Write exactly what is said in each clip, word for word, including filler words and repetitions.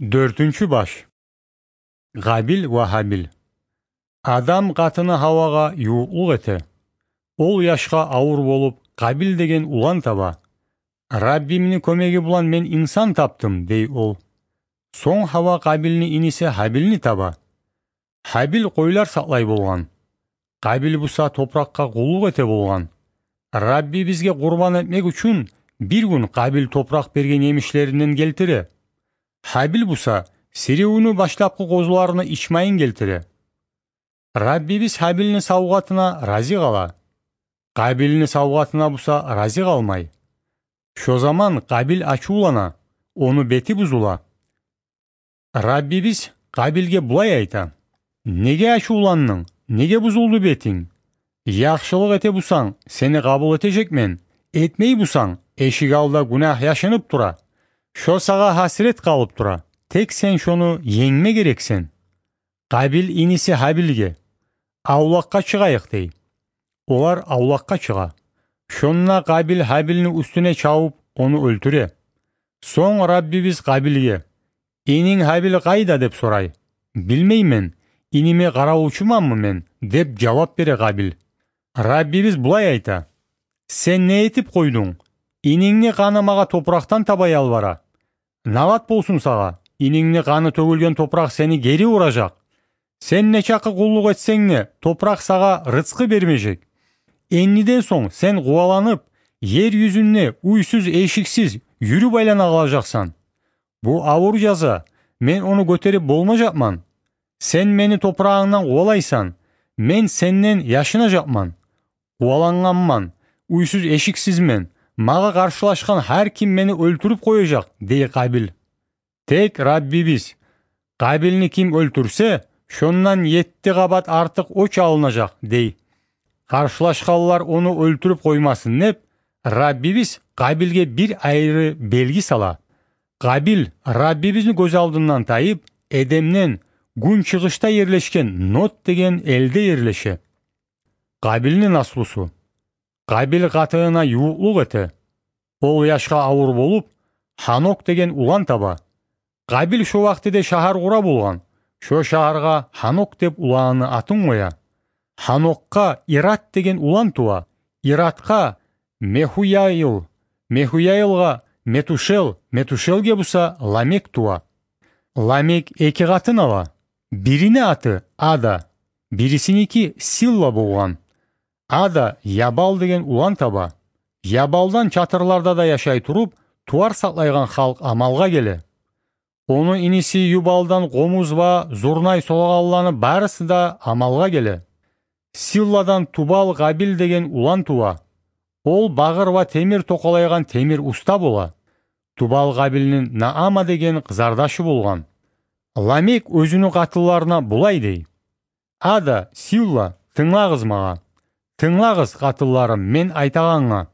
Дёртюнчю баш. Къабил ва Гьабил. Адам къатыны Гьавагъа ювукълукъ эте. Ол яшгъа авур болуп, Къабил деген улан таба. «Раббимни кёмеги булан мен инсан тапдым», — дей ол. Сонг Гьава Къабилни иниси Гьабилни таба. Гьабил къойлар сакълай болгъан. Къабил буса топуракъгъа къуллукъ эте болгъан. Раббибизге къурбан этмек учун бир гюн Къабил топуракъ берген емишлеринден гелтире. Гьабил буса сиривню башлапгъы къозуларыны ичмайын гелтире. Раббибиз Гьабилни савгъатына рази къала. Къабилни савгъатына буса рази къалмай. Шо заман Къабил ачувлана, ону бети бузула. Раббибиз Къабилге булай айта: «Неге ачувландынг? Неге бузулду бетинг? Яхшылыкъ эте бусанг, сени къабул этежекмен. Этмей бусанг, эшик алда гюнагь яшынып тура. Шо сагъа гьасирет къалып тура. Тек сен шону енгме герексен». Къабил иниси Гьабилге: «Авлакъгъа чыгъайыкъ», — дей. Олар авлакъгъа чыгъа. Шонда Къабил Гьабилни уьстюне чавуп, ону оьлтюре. Сонг Раббибиз Къабилге: «Ининг Гьабил къайда?» — деп сорай. «Билмеймен, иниме къаравулчуманмы мен?» — деп жавап бере Къабил. Раббибиз булай айта: «Сен не этип къойдунг? Инингни къаны магъа топуракъдан таба ялбара. Налат болсун сагъа, инингни къаны тёгюлген топуракъ сени гери уражакъ. Сен нечакъы къуллукъ этсенг де, топуракъ сагъа рызкъы бермежек. Эндиден сонг сен къуваланып, ер юзюнде уьйсюз-эшиксиз юрюп айлана къалажакъсан. Бу авур жаза, мен ону гётерип болмажакъман. Сен мени топурагъымдан къувалайсан, мен сенден яшынажакъман. Къувалангъанман, уьйсюз-эшиксизмен, магъа къаршылашгъан гьар ким мени оьлтюрюп къояжакъ», — дей Къабил. Тек Раббибиз: «Къабилни ким оьлтюрсе, шондан етти къабат артыкъ оьч алынажакъ», — дей. Къаршылашгъанлар ону оьлтюрюп къоймасын деп, Раббибиз Къабилге бир айры белги сала. Къабил Раббибизни гёз алдындан тайып, Эдемден гюнчыгъышда ерлешген Нод деген элде ерлеше. Къабилни наслусу. Къабил къатынына ювукълукъ эте. Ол яшгъа авур болуп, Гьанок деген улан таба. Къабил шо вакътиде шагьар къура болгъан. Шо шагьаргъа Гьанок деп уланыны атын къоя. Гьанокгъа Ирад деген улан тува. Ирадгъа Мехуяил, Мехуяилгъа Метушел, Метушелге буса Ламек тува. Ламек эки къатын ала. Бирини аты Ада, бирисиники Силла болгъан. Ада Ябал деген улан таба. Ябалдан чатырларда да яшай туруп, тувар сакълайгъан халкъ амалгъа геле. Ону иниси Юбалдан къомуз ва зурнай солагъанланы барысы да амалгъа геле. Силладан Тубал-Къабил деген улан тува. Ол багъыр ва темир токъалайгъан темир уста бола. Тубал-Къабилни Наама деген къызардашы болгъан. Ламек оьзюню къатынларына булай дей: «Ада, Силла, тынглагъыз магъа. Тынглагъыз, къатынларым, мен айтагъангъа.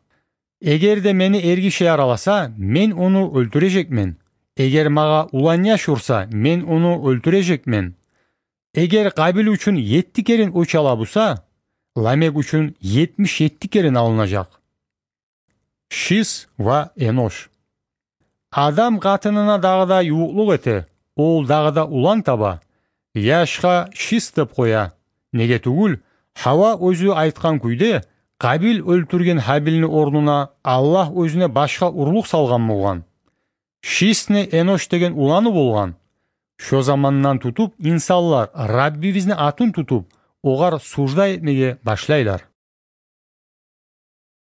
Эгер де мени эргиши яраласа, мен ону оьлтюрежекмен. Эгер магъа улан яш урса, мен ону оьлтюрежекмен. Эгер Къабил учун етти керен оьч ала буса, Ламек учун етмиш етти керен алынажакъ». Шис ва Энош. Адам къатынына дагъы да ювукълукъ эте, ол дагъы да улан таба. Яшгъа Шис деп къоя. Неге тюгюл, Гьава оьзю айтгъан кюйде, Къабил оьлтюрген Гьабилни орнуна Аллагь оьзюне башгъа урлукъ салгъан болгъан. Шисни Энош деген уланы болгъан. Шо замандан тутуп инсанлар Раббибизни атын тутуп, огъар сужда этмеге башлайлар.